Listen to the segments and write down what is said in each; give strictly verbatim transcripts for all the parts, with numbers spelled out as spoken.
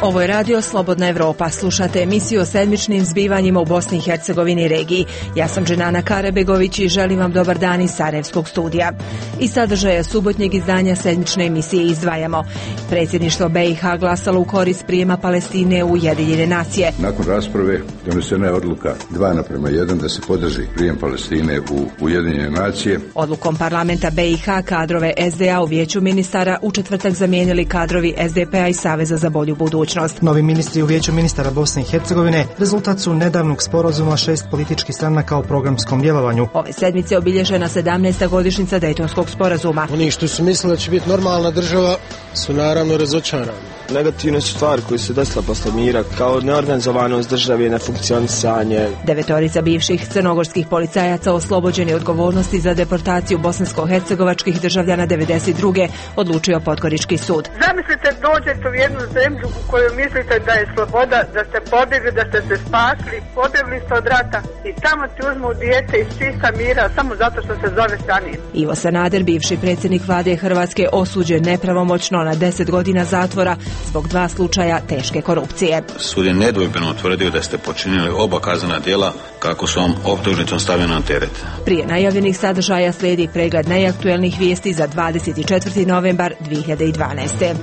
Ovo je radio Slobodna Evropa. Slušate emisiju o sedmičnim zbivanjima u Bosni i Hercegovini i regiji. Ja sam Dženana Karabegović i želim vam dobar dan iz Sarajevskog studija. Iz sadržaja subotnjeg izdanja sedmične emisije izdvajamo. Predsjedništvo B i H glasalo u korist prijema Palestine u Ujedinjene nacije. Nakon rasprave donesena je odluka dva naprema jedan da se podrži prijem Palestine u Ujedinjene nacije. Odlukom parlamenta B i H kadrove S D A u vijeću ministara u četvrtak zamijenili kadrovi S D P-a i Saveza za bolju budućnost. Novi ministri u vijeću ministara Bosne i Hercegovine rezultat su nedavnog sporazuma šest političkih stranaka o programskom djelovanju. Ove sedmice obilježena sedamnaesta godišnjica Dejtonskog sporazuma. Oni što su mislili da će biti normalna država su naravno razočarani. Negativne su stvari koje su desile posle mira, kao neorganizovanost države, nefunkcionisanje. Devetorica bivših crnogorskih policajaca oslobođeni odgovornosti za deportaciju bosansko-hercegovačkih državljana devedeset druge odlučio Podgorički sud. Zamislite, dođete u jednu zemlju u kojoj mislite da je sloboda, da ste pobjegli, da ste se spasli, pobjegli ste od rata i tamo ti uzmu dijete iz čista mira samo zato što se zove Sanin. Ivo Sanader, bivši predsjednik vlade Hrvatske, osuđen nepravomoćno na deset godina zatvora zbog dva slučaja teške korupcije. Sud je nedvojbeno utvrdio da ste počinili oba kaznena djela kako su vam optužnicom stavljena na teret. Prije najavljenih sadržaja slijedi pregled najaktuelnijih vijesti za dvadeset četvrti novembar dvije hiljade dvanaeste.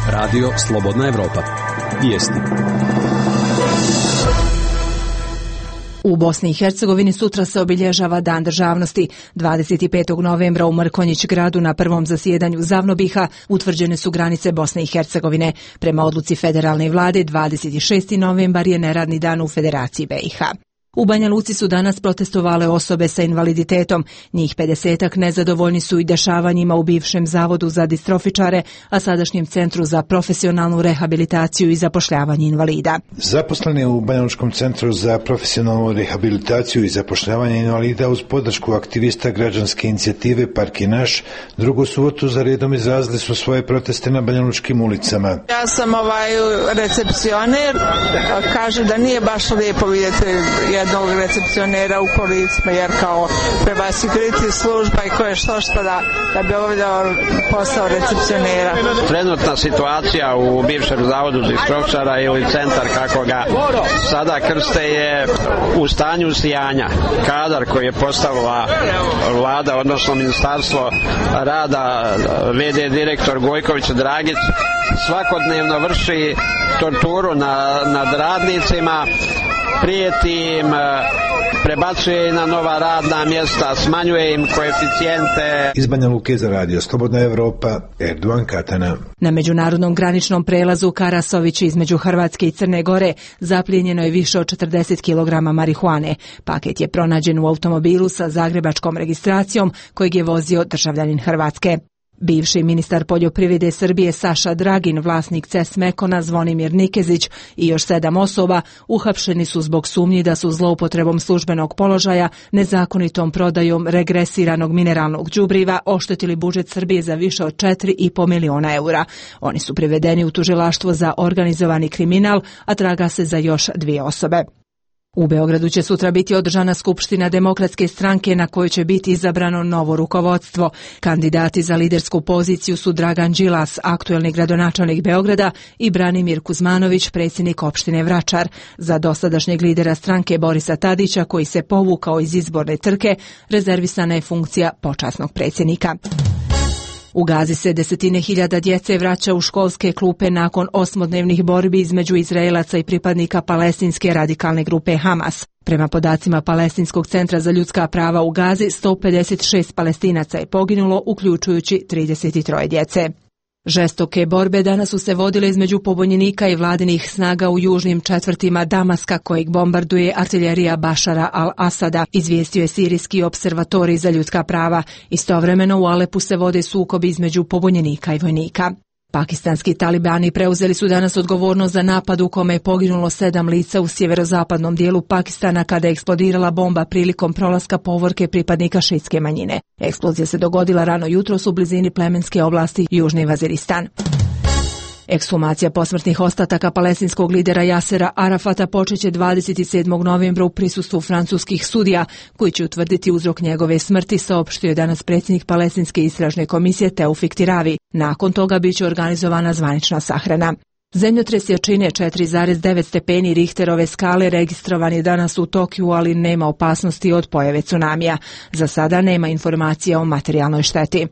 Radio Slobodna Evropa. Vijesti. U Bosni i Hercegovini sutra se obilježava Dan državnosti. dvadeset petog novembra u Mrkonjić gradu na prvom zasjedanju Zavnobiha utvrđene su granice Bosne i Hercegovine. Prema odluci federalne vlade dvadeset šesti novembar je neradni dan u Federaciji B i H. U Banja Luci su danas protestovale osobe sa invaliditetom. Njih pedesetak nezadovoljni su i dešavanjima u bivšem zavodu za distrofičare, a sadašnjem centru za profesionalnu rehabilitaciju i zapošljavanje invalida. Zaposleni u Banjalučkom centru za profesionalnu rehabilitaciju i zapošljavanje invalida uz podršku aktivista građanske inicijative Park je naš, drugu subotu za redom izrazili su svoje proteste na banjalučkim ulicama. Ja sam ovaj recepcioner, kaže da nije baš lijepo vidjeti jednog recepcionera u kolicima, jer kao treba si kriti služba i koje što što da, da bi obavljao posao recepcionera. Trenutna situacija u bivšem zavodu distrofičara ili centar kako ga sada krste je u stanju sijanja. Kadar koji je postavila vlada, odnosno ministarstvo rada, V D direktor Gojković Dragić, svakodnevno vrši torturu na, nad radnicima, prijeti im, prebacuje na nova radna mjesta, smanjuje im koeficijente. Iz Banja Luke za radio Slobodna Evropa, Erdogan Katana. Na međunarodnom graničnom prelazu Karasović između Hrvatske i Crne Gore zaplijenjeno je više od četrdeset kilograma marihuane. Paket je pronađen u automobilu sa zagrebačkom registracijom kojeg je vozio državljanin Hrvatske. Bivši ministar poljoprivrede Srbije Saša Dragin, vlasnik C E S Mekona Zvonimir Nikezić i još sedam osoba uhapšeni su zbog sumnji da su zloupotrebom službenog položaja, nezakonitom prodajom regresiranog mineralnog đubriva oštetili budžet Srbije za više od četiri i po miliona eura. Oni su privedeni u tužilaštvo za organizovani kriminal, a traga se za još dvije osobe. U Beogradu će sutra biti održana skupština Demokratske stranke na kojoj će biti izabrano novo rukovodstvo. Kandidati za lidersku poziciju su Dragan Đilas, aktuelni gradonačelnik Beograda, i Branimir Kuzmanović, predsjednik opštine Vračar. Za dosadašnjeg lidera stranke Borisa Tadića, koji se povukao iz izborne trke, rezervisana je funkcija počasnog predsjednika. U Gazi se desetine hiljada djece vraća u školske klupe nakon osmodnevnih borbi između Izraelaca i pripadnika palestinske radikalne grupe Hamas. Prema podacima Palestinskog centra za ljudska prava u Gazi, sto pedeset šest Palestinaca je poginulo, uključujući trideset tri djece. Žestoke borbe danas su se vodile između pobunjenika i vladinih snaga u južnim četvrtima Damaska, kojeg bombarduje artiljerija Bašara al-Asada, izvijestio je sirijski observatorij za ljudska prava. Istovremeno u Alepu se vode sukobi između pobunjenika i vojnika. Pakistanski talibani preuzeli su danas odgovornost za napad u kome je poginulo sedam lica u sjeverozapadnom dijelu Pakistana kada je eksplodirala bomba prilikom prolaska povorke pripadnika šiitske manjine. Eksplozija se dogodila rano jutros u blizini plemenske oblasti Južni Vaziristan. Ekshumacija posmrtnih ostataka palestinskog lidera Jasera Arafata počeće dvadeset sedmog novembra u prisustvu francuskih sudija, koji će utvrditi uzrok njegove smrti, saopštio je danas predsjednik Palestinske istražne komisije Teufik Tiravi. Nakon toga biće organizovana zvanična sahrana. Zemljotres jačine četiri zarez devet stepeni Richterove skale registrovan je danas u Tokiju, ali nema opasnosti od pojave tsunamija. Za sada nema informacija o materijalnoj šteti.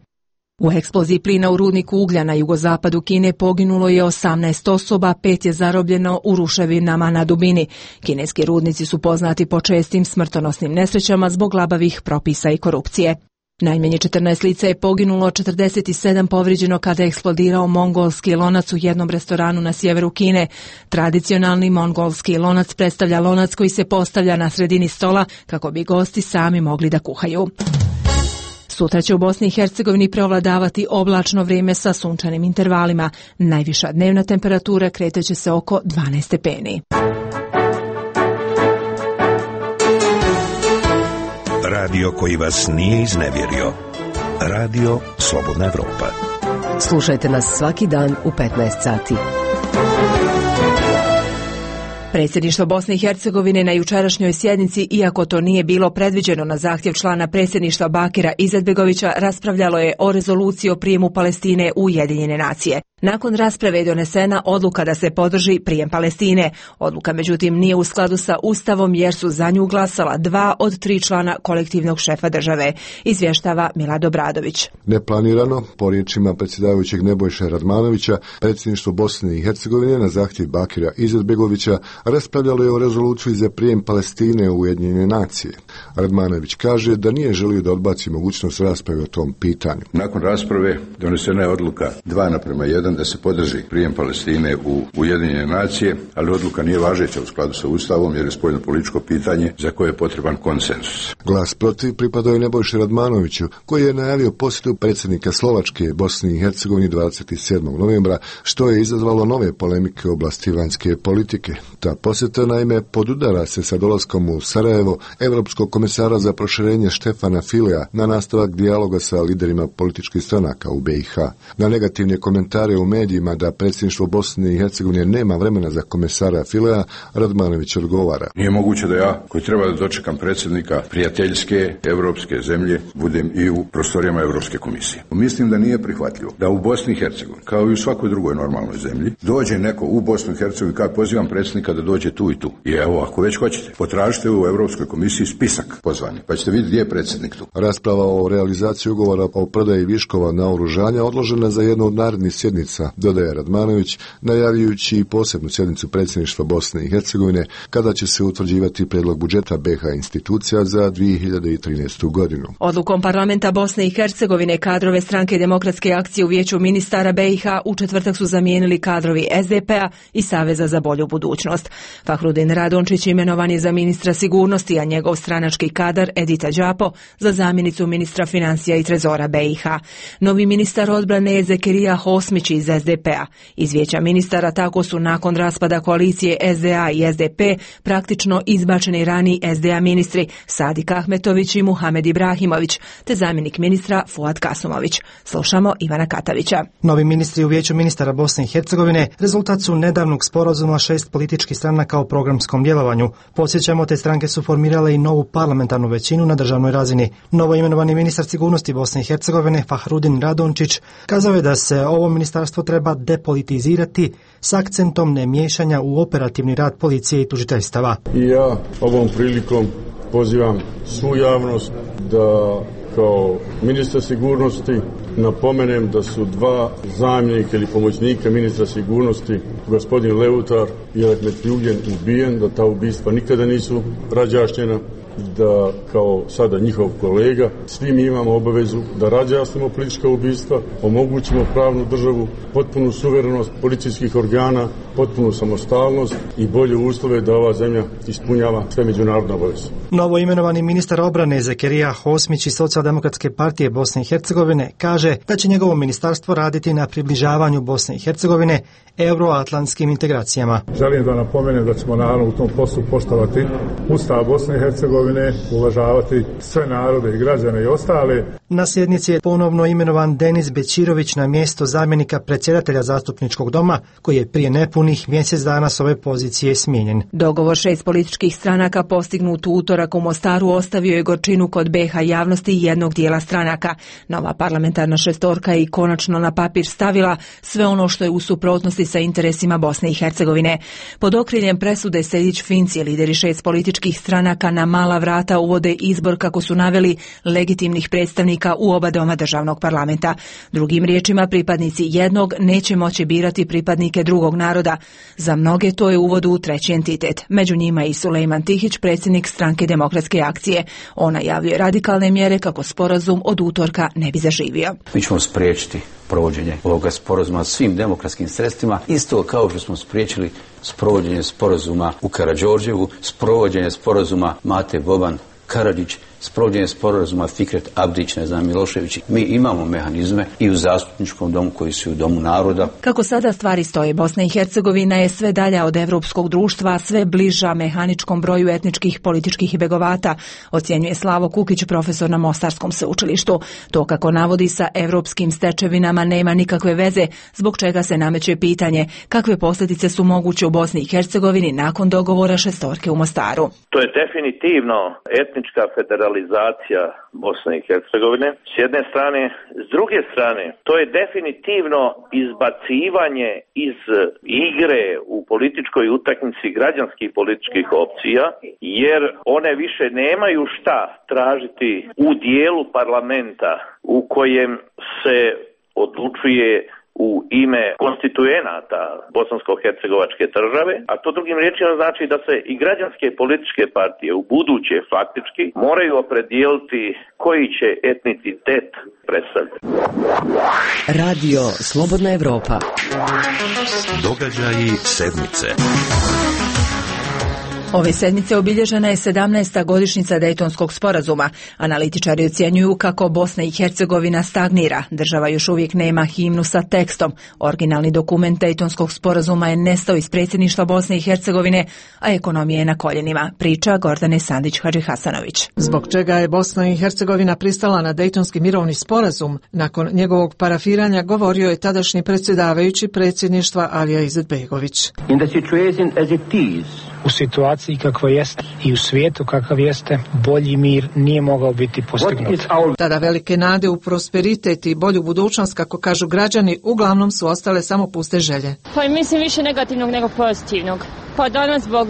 U eksploziji plina u rudniku uglja na jugozapadu Kine poginulo je osamnaest osoba, pet je zarobljeno u ruševinama na dubini. Kineski rudnici su poznati po čestim smrtonosnim nesrećama zbog labavih propisa i korupcije. Najmanje četrnaest lica je poginulo, četrdeset sedam povrijeđeno kada je eksplodirao mongolski lonac u jednom restoranu na sjeveru Kine. Tradicionalni mongolski lonac predstavlja lonac koji se postavlja na sredini stola kako bi gosti sami mogli da kuhaju. Sutra će u Bosni i Hercegovini preovladavati oblačno vrijeme sa sunčanim intervalima. Najviša dnevna temperatura kreće se oko dvanaest stepeni. Radio koji vas nije iznevjerio. Radio Slobodna Evropa. Slušajte nas svaki dan u petnaest sati. Predsjedništvo Bosne i Hercegovine na jučerašnjoj sjednici, iako to nije bilo predviđeno na zahtjev člana predsjedništva Bakira Izetbegovića, raspravljalo je o rezoluciji o prijemu Palestine u Ujedinjene nacije. Nakon rasprave je donesena odluka da se podrži prijem Palestine. Odluka međutim nije u skladu sa Ustavom jer su za nju glasala dva od tri člana kolektivnog šefa države, izvještava Milad Obradović. Neplanirano, po riječima predsjedavajućeg Nebojše Radmanovića, predsjedništvo Bosne i Hercegovine na zahtjev Bakira Izetbegovića raspravljalo je o rezoluciji za prijem Palestine u Ujedinjene nacije. Radmanović kaže da nije želio da odbaci mogućnost rasprave o tom pitanju. Nakon rasprave donesena je odluka dva naprema jedan da se podrži prijem Palestine u Ujedinjene nacije, ali odluka nije važeća u skladu sa Ustavom jer je spoljno političko pitanje za koje je potreban konsenzus. Glas protiv pripadao je Nebojši Radmanoviću, koji je najavio posjetu predsjednika Slovačke Bosni i Hercegovini dvadeset sedmog novembra, što je izazvalo nove polemike u oblasti vanjske politike. Ta posjeta naime podudara se sa dolaskom u Sarajevo Evropskog komesara za proširenje Štefana Filea na nastavak dijaloga sa liderima političkih stranaka u B i H. Na negativne komentare u medijima da predsjedništvo Bosne i Hercegovine nema vremena za komesara Filea, Radmanović odgovara. Nije moguće da ja, koji treba da dočekam predsjednika prijateljske evropske zemlje, budem i u prostorijama Evropske komisije. Mislim da nije prihvatljivo da u Bosni i Hercegovini, kao i u svakoj drugoj normalnoj zemlji, dođe neko u Bosnu i Hercegovini, kao pozivam predsjednika da dođe tu i tu. I evo, ako već hoćete, potražite u Evropskoj komisiji spisak pozvani, pa ćete vidjeti gdje je predsjednik tu. Rasprava o realizaciji ugovora o prodaji viškova naoružanja odložena za jednu od narednih sjednica, dodaje Radmanović, najavljujući i posebnu sjednicu predsjedništva Bosne i Hercegovine, kada će se utvrđivati prijedlog budžeta B i H institucija za dvije hiljade trinaestu godinu. Odlukom parlamenta Bosne i Hercegovine kadrove Stranke demokratske akcije u Vijeću ministara B i H u četvrtak su zamijenili kadrovi S D P-a i Saveza za bolju budućnost. Fahrudin Radončić imenovan je za ministra sigurnosti, a njegov stranački kadar Edita Đapo za zamjenicu ministra financija i trezora B i H. Novi ministar odbrane je Zekerija Hosmić iz S D P-a. Iz Vijeća ministara tako su nakon raspada koalicije S D A i S D P praktično izbačeni raniji S D A ministri Sadik Ahmetović i Muhamed Ibrahimović, te zamjenik ministra Fuad Kasumović. Slušamo Ivana Katavića. Novi ministri u Vijeću ministara Bosne i Hercegovine rezultat su nedavnog sporazuma šest političkih stranaka o programskom djelovanju. Podsjećamo, te stranke su formirale i novu parlamentarnu većinu na državnoj razini. Novo imenovani ministar sigurnosti Bosne i Hercegovine Fahrudin Radončić kazao je da se ovo ministarstvo treba depolitizirati s akcentom nemiješanja u operativni rad policije i tužiteljstava. I ja ovom prilikom pozivam svu javnost da kao ministar sigurnosti napomenem da su dva zamjenika ili pomoćnika ministra sigurnosti, gospodin Leutar i Ahmet Ljugen, ubijen, da ta ubistva nikada nisu razjašnjena, da kao sada njihov kolega svi mi imamo obavezu da razjasnimo politička ubistva, omogućimo pravnu državu, potpunu suverenost policijskih organa, potpunu samostalnost i bolje uslove da ova zemlja ispunjava sve međunarodne obaveze. Novo imenovani ministar obrane Zekerija Hosmić iz Socijaldemokratske partije Bosne i Hercegovine kaže da će njegovo ministarstvo raditi na približavanju Bosne i Hercegovine euroatlantskim integracijama. Želim da napomenem da ćemo naravno u tom poslu poštovati Ustav Bosne i Hercegovine, uvažavati sve narode i građane i ostale. Na sjednici je ponovno imenovan Denis Bećirović na mjesto zamjenika predsjedatelja zastupničkog doma, koji je prije nepunih mjesec dana s ove pozicije smijenjen. Dogovor šest političkih stranaka postignut u utorak u Mostaru ostavio je gorčinu kod B iH javnosti i jednog dijela stranaka. Nova parlamentarna šestorka je i konačno na papir stavila sve ono što je u suprotnosti sa interesima Bosne i Hercegovine. Pod okriljem presude Sejdić-Finci lideri šest političkih stranaka na mala vrata uvode izbor, kako su naveli, legitimnih predstavnika u oba doma državnog parlamenta. Drugim riječima, pripadnici jednog neće moći birati pripadnike drugog naroda. Za mnoge to je uvod u treći entitet. Među njima i Sulejman Tihić, predsjednik Stranke demokratske akcije. On najavljuje radikalne mjere kako sporazum od utorka ne bi zaživio. Mi ćemo spriječiti provođenje ovoga sporazuma svim demokratskim sredstvima, isto kao što smo spriječili sprovođenje sporazuma u Karađorđevu, sprovođenje sporazuma Mate Boban Karadžić, sprovođenje sporazuma Fikret Abdić, ne znam, Milošević. Mi imamo mehanizme i u zastupničkom domu koji su u domu naroda. Kako sada stvari stoje, Bosna i Hercegovina je sve dalja od evropskog društva, sve bliža mehaničkom broju etničkih, političkih begovata, ocjenjuje Slavo Kukić, profesor na Mostarskom sveučilištu. To, kako navodi, sa evropskim stečevinama nema nikakve veze, zbog čega se nameće pitanje kakve posljedice su moguće u Bosni i Hercegovini nakon dogovora šestorke u Mostaru. To je definitivno etnička federacija Bosne i Hercegovine s jedne strane, s druge strane to je definitivno izbacivanje iz igre u političkoj utakmici građanskih političkih opcija, jer one više nemaju šta tražiti u dijelu parlamenta u kojem se odlučuje u ime konstituenata bosansko-hercegovačke države, a to drugim riječima znači da se i građanske političke partije u buduće faktički moraju opredijeliti koji će etnicitet predstavljati. Radio Slobodna Evropa. Događaji sedmice. Ove sedmice obilježena je sedamnaesta godišnjica Dejtonskog sporazuma. Analitičari ocjenjuju kako Bosna i Hercegovina stagnira. Država još uvijek nema himnu sa tekstom. Originalni dokument Dejtonskog sporazuma je nestao iz predsjedništva Bosne i Hercegovine, a ekonomija je na koljenima. Priča Gordane Sandić-Hadžihasanović. Zbog čega je Bosna i Hercegovina pristala na Dejtonski mirovni sporazum? Nakon njegovog parafiranja govorio je tadašnji predsjedavajući predsjedništva Alija Izetbegović. In the situation as it is, u situaciji kakva jeste i u svijetu kakav jeste, bolji mir nije mogao biti postignut. Tada velike nade u prosperitet i bolju budućnost, kako kažu građani, uglavnom su ostale samo puste želje. Pa mislim više negativnog nego pozitivnog. Pa danas zbog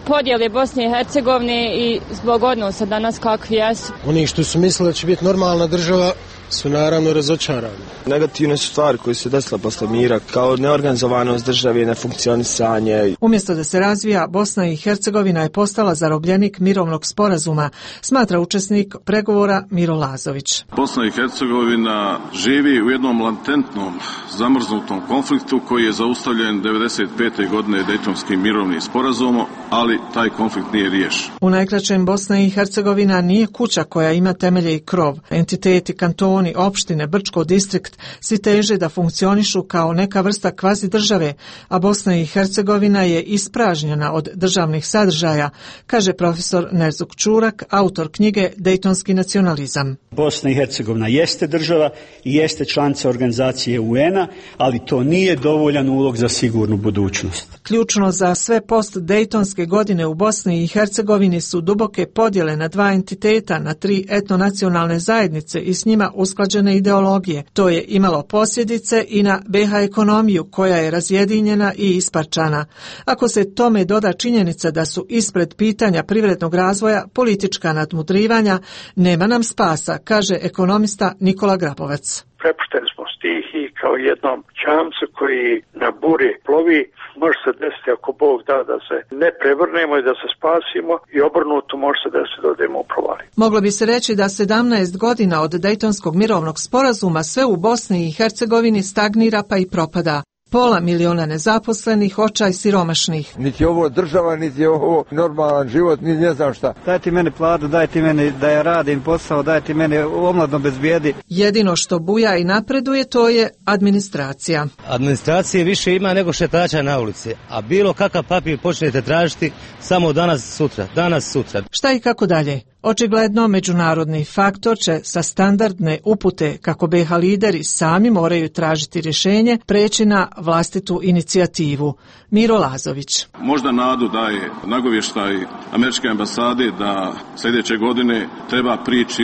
podjele Bosne i Hercegovine i zbog odnosa danas kakvi jesu. Oni što su mislili da će biti normalna država su naravno razočarani. Negativne su stvari koje se desile posle mira, kao neorganizovanost države, nefunkcionisanje. Umjesto da se razvija, Bosna i Hercegovina je postala zarobljenik mirovnog sporazuma, smatra učesnik pregovora Miro Lazović. Bosna i Hercegovina živi u jednom latentnom, zamrznutom konfliktu koji je zaustavljen devedeset pete godine Dejtonskim mirovnim sporazumom, ali taj konflikt nije riješen. U najkraćem, Bosna i Hercegovina nije kuća koja ima temelje i krov. Entiteti, kantoni, opštine, Brčko distrikt svi teže da funkcionišu kao neka vrsta kvazi države, a Bosna i Hercegovina je ispražnjena od državnih sadržaja, kaže profesor Nerzuk Čurak, autor knjige Dejtonski nacionalizam. Bosna i Hercegovina jeste država i jeste članica organizacije U N-a, ali to nije dovoljan ulog za sigurnu budućnost. Ključno za sve post-dejtonske godine u Bosni i Hercegovini su duboke podjele na dva entiteta, na tri etnonacionalne zajednice i s njima usklađene ideologije. To je imalo posljedice i na B iH ekonomiju, koja je razjedinjena i isparčana. Ako se tome doda činjenica da su ispred pitanja privrednog razvoja politička nadmudrivanja, nema nam spasa, kaže ekonomista Nikola Grabovac. Prepušteni smo stihiji kao jednom čamcu koji na buri plovi. Može se desiti, ako Bog da, da se ne prevrnemo i da se spasimo, i obrnuto može se desiti da odemo u provali. Moglo bi se reći da sedamnaest godina od Dejtonskog mirovnog sporazuma sve u Bosni i Hercegovini stagnira pa i propada. Pola miliona nezaposlenih, očaj siromašnih. Niti je ovo država, niti je ovo normalan život, ni ne znam šta. Dajte meni platu, dajte meni da ja radim posao, dajte meni omladno bez bijedi. Jedino što buja i napreduje, to je administracija. Administracije više ima nego šetača na ulici, a bilo kakav papir počnete tražiti samo danas sutra, danas sutra. Šta i kako dalje? Očigledno, međunarodni faktor će sa standardne upute kako B iH lideri sami moraju tražiti rješenje preći na vlastitu inicijativu. Miro Lazović. Možda nadu daje nagovještaj američke ambasade da sljedeće godine treba prići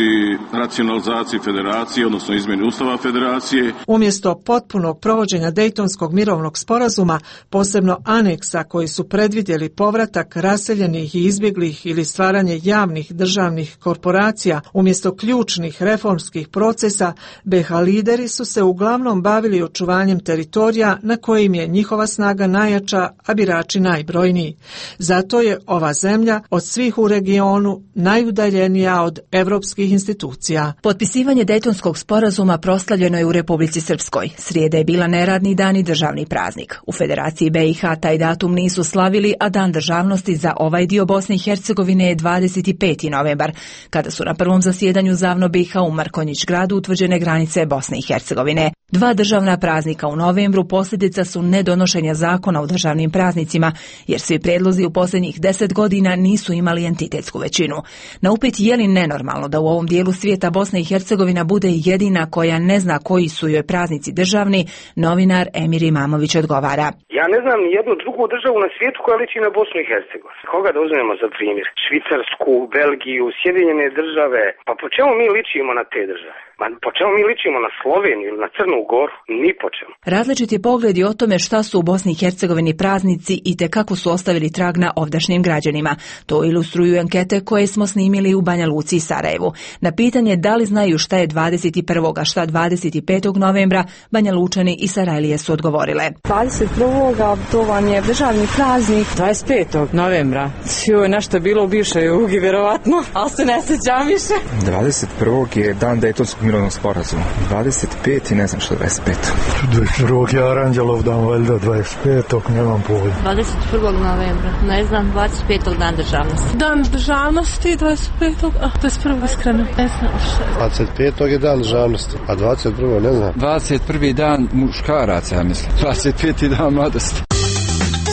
racionalizaciji federacije, odnosno izmjeni ustava federacije. Umjesto potpunog provođenja Dejtonskog mirovnog sporazuma, posebno aneksa koji su predvidjeli povratak raseljenih i izbjeglih ili stvaranje javnih državnih korporacija, umjesto ključnih reformskih procesa, B iH lideri su se uglavnom bavili očuvanjem teritorija na kojim je njihova snaga najjača, a birači najbrojniji. Zato je ova zemlja od svih u regionu najudaljenija od evropskih institucija. Potpisivanje Dejtonskog sporazuma proslavljeno je u Republici Srpskoj. Srijeda je bila neradni dan i državni praznik. U Federaciji B iH taj datum nisu slavili, a dan državnosti za ovaj dio Bosne i Hercegovine je dvadeset peti novembar, kada su na prvom zasjedanju Zavno B iH u Markonjić gradu utvrđene granice Bosne i Hercegovine. Dva državna praznika u novembru posljedica su nedonošenja zakona o državnim praznicima, jer svi predlozi u posljednjih deset godina nisu imali entitetsku većinu. Na upit je li nenormalno da u ovom dijelu svijeta Bosna i Hercegovina bude jedina koja ne zna koji su joj praznici državni, novinar Emir Imamović odgovara. Ja ne znam ni jednu drugu državu na svijetu koja liči na Bosnu i Hercegovinu. Koga da uzmemo za primjer? Švicarsku, Belgiju, Sjedinjene države. Pa po čemu mi ličimo na te države? Ma po čemu mi ličimo na Sloveniju ili na Crnu Goru? Ni po čemu. Različiti pogledi o tome šta su u Bosni i Hercegovini praznici i te kako su ostavili trag na ovdašnjim građanima. To ilustruju ankete koje smo snimili u Banja Luci i Sarajevu. Na pitanje da li znaju šta je dvadeset prvog a šta dvadeset petog novembra, Banja Lučani i Sarajlije su odgovorile. dvadeset prvog to vam je državni praznik. dvadeset petog novembra. Joj, nešto je bilo u bivšoj Jugi, vjerovatno, ali se ne sjećam više. dvadeset prvog je dan Dejtonskog mirovnog sporazuma. dvadeset peti ne znam što je dvadeset petog dvadeset prvog je Aranđelov dan, valjda dvadeset petog nemam pojma. dvadeset prvog novembra, ne znam, dvadeset petog dan državnosti. Dan državnosti, dvadeset petog a dvadeset prvog iskreno, ne znam što je. dvadeset petog je dan državnosti, a dvadeset prvog ne znam. dvadeset prvi dan muškaraca, ja mislim. dvadeset peti dan mladosti.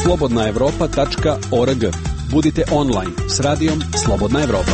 slobodna evropa tačka org. Budite online s radijom Slobodna Evropa.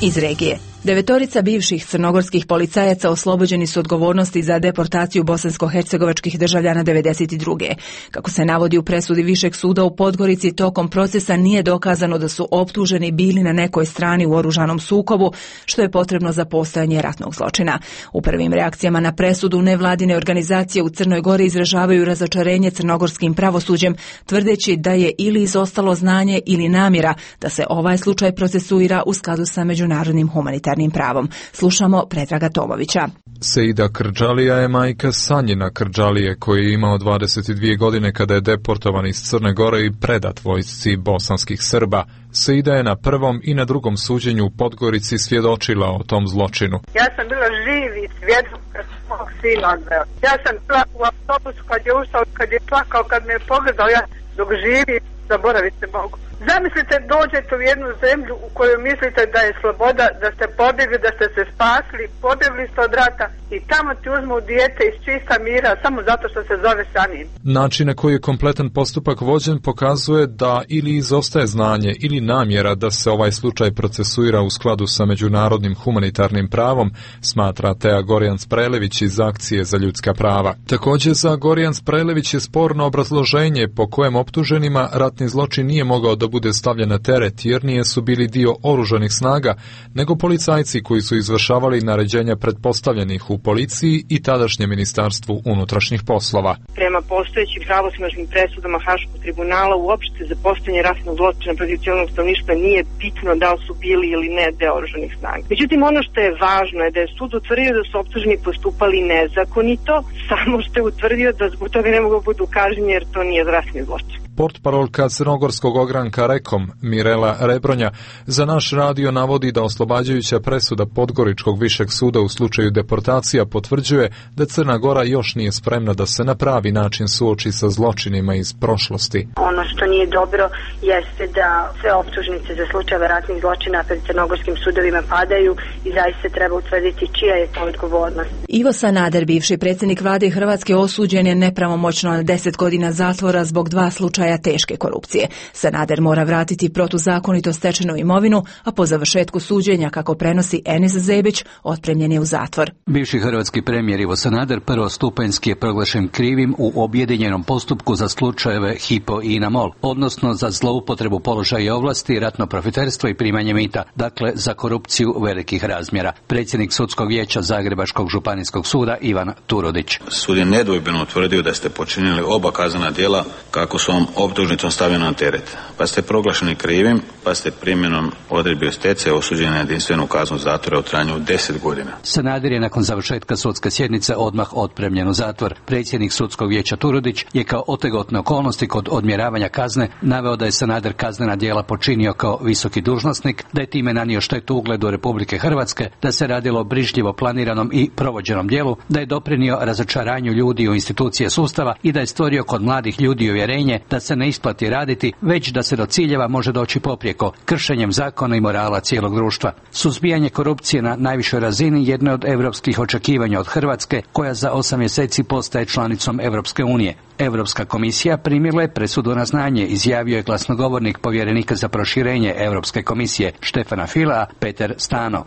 Iz regije. Devetorica bivših crnogorskih policajaca oslobođeni su odgovornosti za deportaciju bosansko-hercegovačkih državljana devedeset druge. Kako se navodi u presudi Višeg suda u Podgorici, tokom procesa nije dokazano da su optuženi bili na nekoj strani u oružanom sukobu, što je potrebno za postojanje ratnog zločina. U prvim reakcijama na presudu nevladine organizacije u Crnoj Gori izražavaju razočarenje crnogorskim pravosuđem, tvrdeći da je ili izostalo znanje ili namjera da se ovaj slučaj procesuira u skladu sa međunarodnim humanitarnim pravom. Slušamo Predraga Tomovića. Seida Krđalija je majka Sanjina Krđalije, koji je imao dvadeset dvije godine kada je deportovan iz Crne Gore i predat vojsci bosanskih Srba. Seida je na prvom i na drugom suđenju u Podgorici svjedočila o tom zločinu. Ja sam bila živi svjedok kad mog sina odveo. Ja sam bila u autobusu kad je ušao, kad je plakao, kad me je pogledao, ja dok živi, zaboravite mogu. Zamislite, dođete u jednu zemlju u kojoj mislite da je sloboda, da ste pobjegli, da ste se spasli, pobjegli ste od rata i tamo ti uzmu dijete iz čista mira samo zato što se zove Sanin. Način na koji je kompletan postupak vođen pokazuje da ili izostaje znanje ili namjera da se ovaj slučaj procesuira u skladu sa međunarodnim humanitarnim pravom, smatra Teja Gorjan-Sprelević iz Akcije za ljudska prava. Također za Gorjan-Sprelević je sporno obrazloženje po kojem optuženima ratni zločin nije mogao da bude stavljen na teret jer nije su bili dio oružanih snaga, nego policajci koji su izvršavali naređenja pretpostavljenih u policiji i tadašnjem ministarstvu unutrašnjih poslova. Prema postojećim pravosnažnim presudama Haškog tribunala uopšte za postojanje ratnog zločina protiv civilnog stanovništva nije bitno da li su bili ili ne deo oružanih snaga. Međutim, ono što je važno je da je sud utvrdio da su optuženi postupali nezakonito, samo što je utvrdio da zbog toga ne mogu budu kažnjeni jer to nije ratni zločin. Portparolka crnogorskog ogranka Rekom, Mirela Rebronja, za naš radio navodi da oslobađajuća presuda Podgoričkog višeg suda u slučaju deportacija potvrđuje da Crna Gora još nije spremna da se na pravi način suoči sa zločinima iz prošlosti. Ono što nije dobro jeste da sve optužnice za slučajeve ratnih zločina pred crnogorskim sudovima padaju i zaista treba utvrditi čija je to odgovornost. Ivo Sanader, bivši predsjednik vlade Hrvatske, osuđen je nepravomoćno na deset godina zatvora zbog dva slučaja slučaja teške korupcije. Sanader mora vratiti protuzakonito stečenu imovinu, a po završetku suđenja, kako prenosi Enis Zebić, otpremljen je u zatvor. Bivši hrvatski premijer Ivo Sanader prvostupanjski je proglašen krivim u objedinjenom postupku za slučajeve Hypo i INA-MOL, odnosno za zloupotrebu položaja i ovlasti, ratno profiterstvo i primanje mita, dakle za korupciju velikih razmjera. Predsjednik sudskog vijeća Zagrebačkog županijskog suda Ivan Turudić. Sud je nedvojbeno utvrdio da ste počinili oba kaznena djela kako su vam optužnicom stavljena na teret, pa ste proglašeni krivim, pa ste primjenom odredbi o stečaju osuđeni na jedinstvenu kaznu zatvora u trajanju od deset godina. Sanader je nakon završetka sudske sjednice odmah otpremljen u zatvor. Predsjednik sudskog vijeća Turudić je kao otegotne okolnosti kod odmjeravanja kazne naveo da je Sanader kaznena djela počinio kao visoki dužnosnik, da je time nanio štetu ugledu Republike Hrvatske, da se radilo o brižljivo planiranom i provođenom djelu, da je doprinio razočaranju ljudi u institucije sustava i da je stvorio kod mladih ljudi uvjerenje da se ne isplati raditi, već da se do ciljeva može doći poprijeko, kršenjem zakona i morala cijelog društva. Suzbijanje korupcije na najvišoj razini jedno je od europskih očekivanja od Hrvatske, koja za osam mjeseci postaje članicom Europske unije. Europska komisija primila je presudu na znanje, izjavio je glasnogovornik povjerenika za proširenje Europske komisije Štefana Fila, Peter Stano.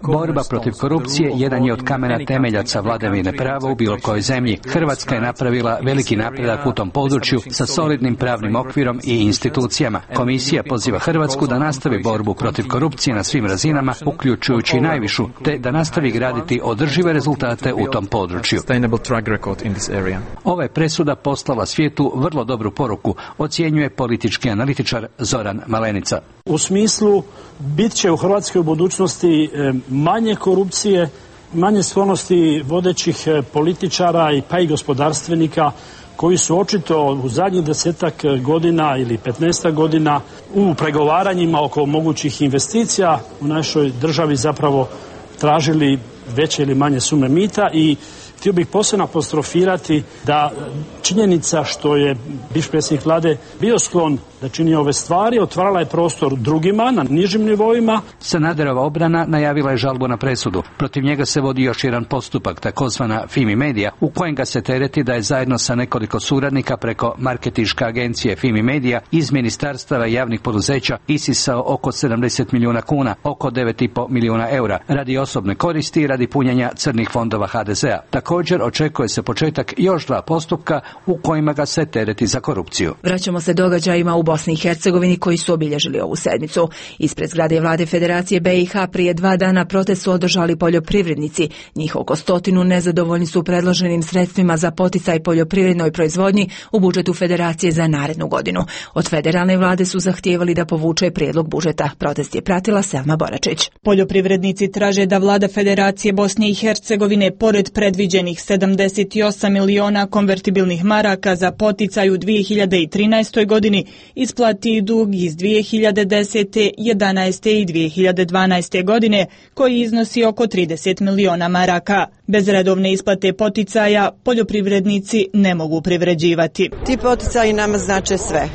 Borba protiv korupcije jedan je od kamena temeljaca vladavine prava u bilo kojoj zemlji. Hrvatska je napravila veliki napredak u tom području sa solidnim pravnim okvirom i institucijama. Komisija poziva Hrvatsku da nastavi borbu protiv korupcije na svim razinama, uključujući najvišu, te da nastavi graditi održive rezultate u tom području. Ova je presuda poslala svijetu vrlo dobru poruku, ocjenjuje politički analitičar Zoran Malenica. U smislu, bit će u Hrvatskoj u budućnosti manje korupcije, manje sklonosti vodećih političara i pa i gospodarstvenika koji su očito u zadnjih desetak godina ili petnaestak godina u pregovaranjima oko mogućih investicija u našoj državi zapravo tražili veće ili manje sume mita. I htio bih posebno apostrofirati da činjenica što je bivši predsjednik vlade bio sklon da čini ove stvari, otvarala je prostor drugima na nižim nivoima. Sanaderova obrana najavila je žalbu na presudu. Protiv njega se vodi još jedan postupak, takozvana Fimi Media, u kojem ga se tereti da je zajedno sa nekoliko suradnika preko marketinške agencije Fimi Media iz ministarstava i javnih poduzeća isisao oko sedamdeset milijuna kuna, oko devet i pol milijuna eura, radi osobne koristi i radi punjenja crnih fondova ha de zea. Također očekuje se početak još dva postupka u kojima ga se tereti za korupciju. Vraćamo se događajima u Bosni i Hercegovini koji su obilježili ovu sedmicu. Ispred zgrade vlade Federacije be i ha prije dva dana protest su održali poljoprivrednici. Njih oko stotinu nezadovoljni su predloženim sredstvima za poticaj poljoprivrednoj proizvodnji u budžetu Federacije za narednu godinu. Od federalne vlade su zahtijevali da povuče prijedlog budžeta. Protest je pratila Selma Boračić. Poljoprivrednici traže da vlada Federacije Bosne i Hercegovine pored predviđenih sedamdeset osam miliona konvertibilnih maraka za poticaj u dvije hiljade trinaestoj godini isplati dug iz dvije hiljade desete, jedanaeste i dvije hiljade dvanaeste godine koji iznosi oko trideset miliona maraka. Bez redovne isplate poticaja poljoprivrednici ne mogu privređivati. Ti poticaji nama znače sve,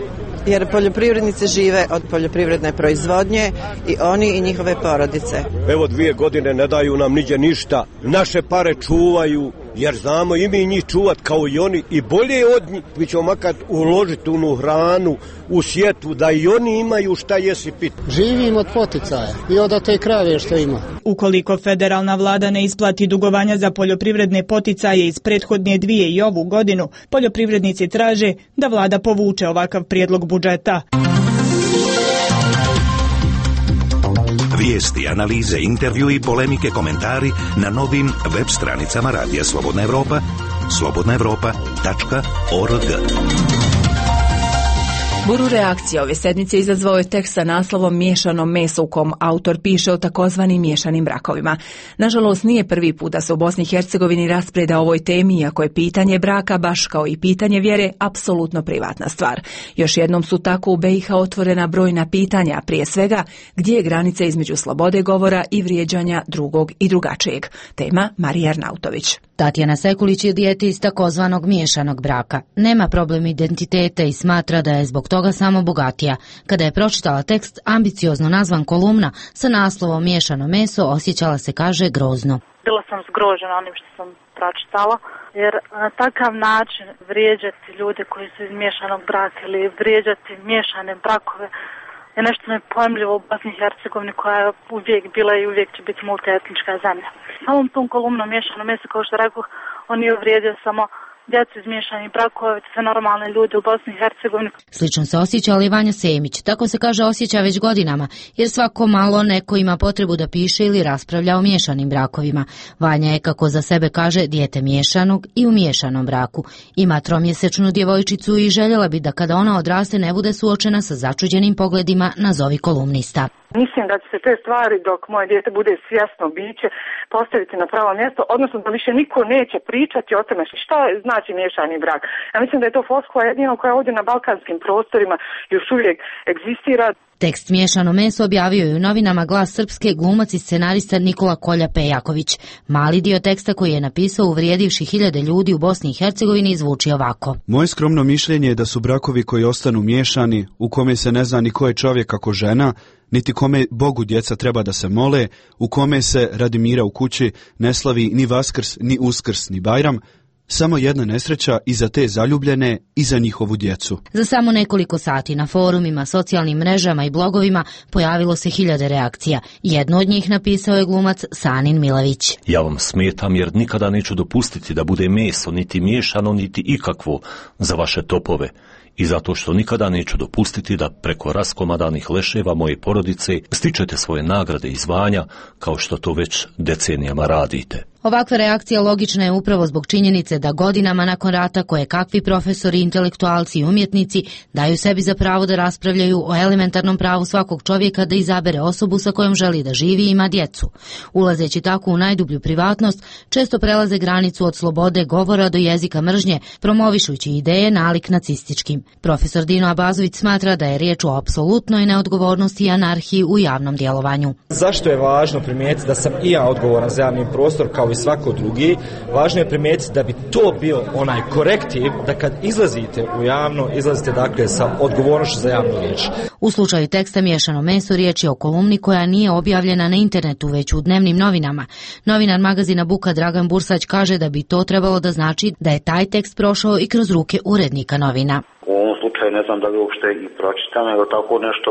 jer poljoprivrednici žive od poljoprivredne proizvodnje i oni i njihove porodice. Evo dvije godine ne daju nam niđe ništa, naše pare čuvaju, jer znamo i mi njih čuvat kao i oni i bolje od njih. Mi ćemo makar uložiti unu hranu u sjetvu da i oni imaju šta jesi pit. Živimo od poticaja i od te krave što ima. Ukoliko federalna vlada ne isplati dugovanja za poljoprivredne poticaje iz prethodne dvije i ovu godinu, poljoprivrednici traže da vlada povuče ovakav prijedlog budžeta. Vijesti, analize, intervju i polemike, komentari na novim web stranicama Radija Slobodna Evropa, slobodna evropa tačka org. Buru reakcija ove sedmice izazvao je tekst sa naslovom Miješano meso u kom autor piše o takozvanim miješanim brakovima. Nažalost, nije prvi put da se u Bosni i Hercegovini raspreda o ovoj temi, iako je pitanje braka, baš kao i pitanje vjere, apsolutno privatna stvar. Još jednom su tako u be i ha otvorena brojna pitanja, prije svega gdje je granica između slobode govora i vrijeđanja drugog i drugačijeg. Tema Marija Arnautović. Tatjana Sekulić je dijete iz takozvanog miješanog braka. Nema problem identiteta i smatra da je zbog toga toga samo bogatija. Kada je pročitala tekst, ambiciozno nazvan kolumna sa naslovom Miješano meso, osjećala se, kaže, grozno. Bila sam zgrožena onim što sam pročitala, jer na takav način vrijeđati ljude koji su iz miješanog braka ili vrijeđati miješane brakove je nešto nepojmljivo u Bosni i Hercegovini, koja je uvijek bila i uvijek će biti multietnička zemlja. Samom tom kolumnom Miješano meso, kao što rekao, on je uvrijedio samo djecu iz miješanih brakova, sve normalne ljude u Bosni i Hercegovini. Slično se osjećala i Vanja Semić. Tako se, kaže, osjeća već godinama, jer svako malo neko ima potrebu da piše ili raspravlja o miješanim brakovima. Vanja je, kako za sebe kaže, dijete miješanog i u miješanom braku. Ima tromjesečnu djevojčicu i željela bi da kada ona odraste ne bude suočena sa začuđenim pogledima nazovi kolumnista. Mislim da će se te stvari, dok moje dijete bude svjesno biće, postaviti na pravo mjesto, odnosno da više niko neće pričati o tome šta znači miješani brak. Ja mislim da je to floskula jedino koja ovdje na balkanskim prostorima još uvijek egzistira. Tekst Miješano meso objavio je u novinama Glas Srpske glumac i scenarista Nikola Kolja Pejaković. Mali dio teksta koji je napisao uvrijedivši hiljade ljudi u Bosni i Hercegovini zvuči ovako. Moje skromno mišljenje je da su brakovi koji ostanu miješani, u kome se ne zna ni ko je čovjek kako žena, niti kome Bogu djeca treba da se mole, u kome se radi mira u kući ne slavi ni Vaskrs, ni Uskrs, ni Bajram, samo jedna nesreća i za te zaljubljene i za njihovu djecu. Za samo nekoliko sati na forumima, socijalnim mrežama i blogovima pojavilo se hiljade reakcija. Jedno od njih napisao je glumac Sanin Milavić. Ja vam smetam jer nikada neću dopustiti da bude meso, niti miješano, niti ikakvo za vaše topove. I zato što nikada neću dopustiti da preko raskomadanih leševa moje porodice stičete svoje nagrade i zvanja kao što to već decenijama radite. Ovakva reakcija logična je upravo zbog činjenice da godinama nakon rata koje kakvi profesori, intelektualci i umjetnici daju sebi za pravo da raspravljaju o elementarnom pravu svakog čovjeka da izabere osobu sa kojom želi da živi i ima djecu. Ulazeći tako u najdublju privatnost, često prelaze granicu od slobode govora do jezika mržnje, promovišući ideje nalik nacističkim. Profesor Dino Abazović smatra da je riječ o apsolutnoj neodgovornosti i anarhiji u javnom djelovanju. Zašto je važno primijetiti da sam i ja odgovoran za javni prostor kao i svako drugi? Važno je primijetiti da bi to bio onaj korektiv da kad izlazite u javno, izlazite dakle sa odgovornošću za javnu riječ. U slučaju teksta Miješano meso riječ je o kolumni koja nije objavljena na internetu već u dnevnim novinama. Novinar magazina Buka Dragan Bursać kaže da bi to trebalo da znači da je taj tekst prošao i kroz ruke urednika novina. U ovom slučaju ne znam da li uopšte i pročitam, nego tako nešto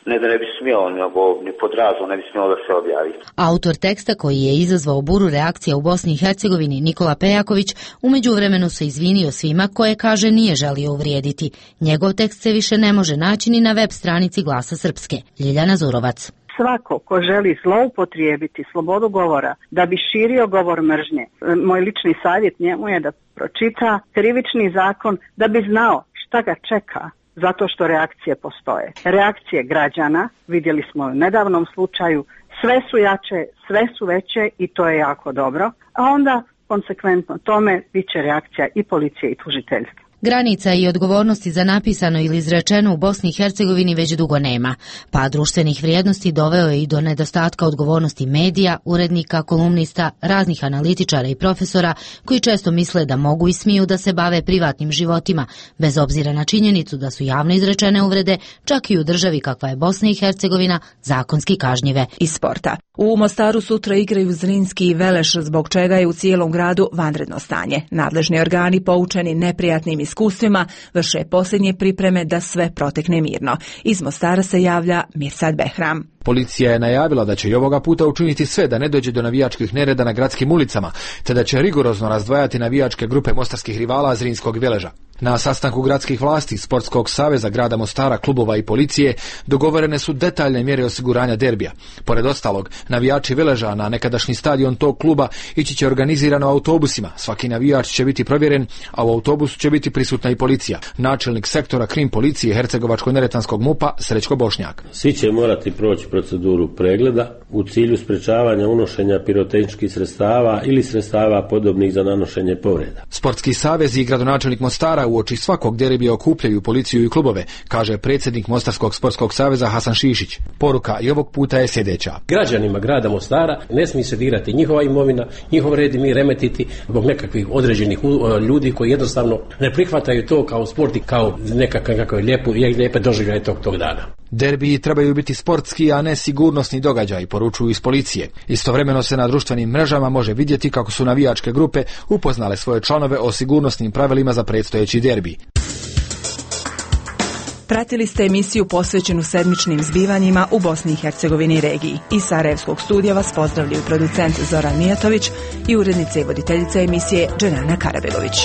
ne da ne bi smjelo, nego ni pod razlom ne bi smjelo da se objavi. Autor teksta koji je izazvao buru reakcija u Bosni i Hercegovini, Nikola Pejaković, u međuvremenu se izvinio svima koje, kaže, nije želio uvrijediti. Njegov tekst se više ne može naći ni na web stranici Glasa Srpske. Ljiljana Zurovac. Svako ko želi zloupotrijebiti slobodu govora da bi širio govor mržnje, moj lični savjet njemu je da pročita krivični zakon da bi znao šta ga čeka, zato što reakcije postoje. Reakcije građana, vidjeli smo u nedavnom slučaju, sve su jače, sve su veće i to je jako dobro, a onda konsekventno tome bit će reakcija i policije i tužiteljstva. Granica i odgovornosti za napisano ili izrečeno u Bosni i Hercegovini već dugo nema. Pad društvenih vrijednosti doveo je i do nedostatka odgovornosti medija, urednika, kolumnista, raznih analitičara i profesora koji često misle da mogu i smiju da se bave privatnim životima, bez obzira na činjenicu da su javno izrečene uvrede, čak i u državi kakva je Bosna i Hercegovina, zakonski kažnjive. Iz sporta. U Mostaru sutra igraju Zrinski i Veleš, zbog čega je u cijelom gradu vanredno stanje. Nadležni organi, poučeni neprijatnim iskustvima, vrše posljednje pripreme da sve protekne mirno. Iz Mostara se javlja Mirsad Behram. Policija je najavila da će i ovoga puta učiniti sve da ne dođe do navijačkih nereda na gradskim ulicama, te da će rigorozno razdvajati navijačke grupe mostarskih rivala Zrinskog i Veleža. Na sastanku gradskih vlasti, Sportskog saveza grada Mostara, klubova i policije dogovorene su detaljne mjere osiguranja derbija. Pored ostalog, navijači Veleža na nekadašnji stadion tog kluba ići će organizirano autobusima. Svaki navijač će biti provjeren, a u autobusu će biti prisutna i policija. Načelnik sektora krim policije Hercegovačko-neretvanskog MUP-a Srećko Bošnjak. Svi će morati proći proceduru pregleda u cilju sprečavanja unošenja pirotehničkih sredstava ili sredstava podobnih za nanošenje povreda. Sportski savez i gradonačelnik Mostara uoči svakog derbija okupljaju policiju i klubove, kaže predsjednik Mostarskog sportskog saveza Hasan Šišić. Poruka i ovog puta je sljedeća. Građanima grada Mostara ne smije se dirati njihova imovina, njihov red i mir remetiti zbog nekakvih određenih ljudi koji jednostavno ne prihvataju to kao sport i kao nekakav lijepu, lijepe doživljaje tog, tog dana. Derbiji trebaju biti sportski, a ne sigurnosni događaj, poručuju iz policije. Istovremeno se na društvenim mrežama može vidjeti kako su navijačke grupe upoznale svoje članove o sigurnosnim pravilima za predstojeći derbi. Pratili ste emisiju posvećenu sedmičnim zbivanjima u Bosni i Hercegovini i regiji. Iz Sarajevskog studija vas pozdravljaju producent Zoran Mijatović i urednica i voditeljica emisije Dženana Karabegović.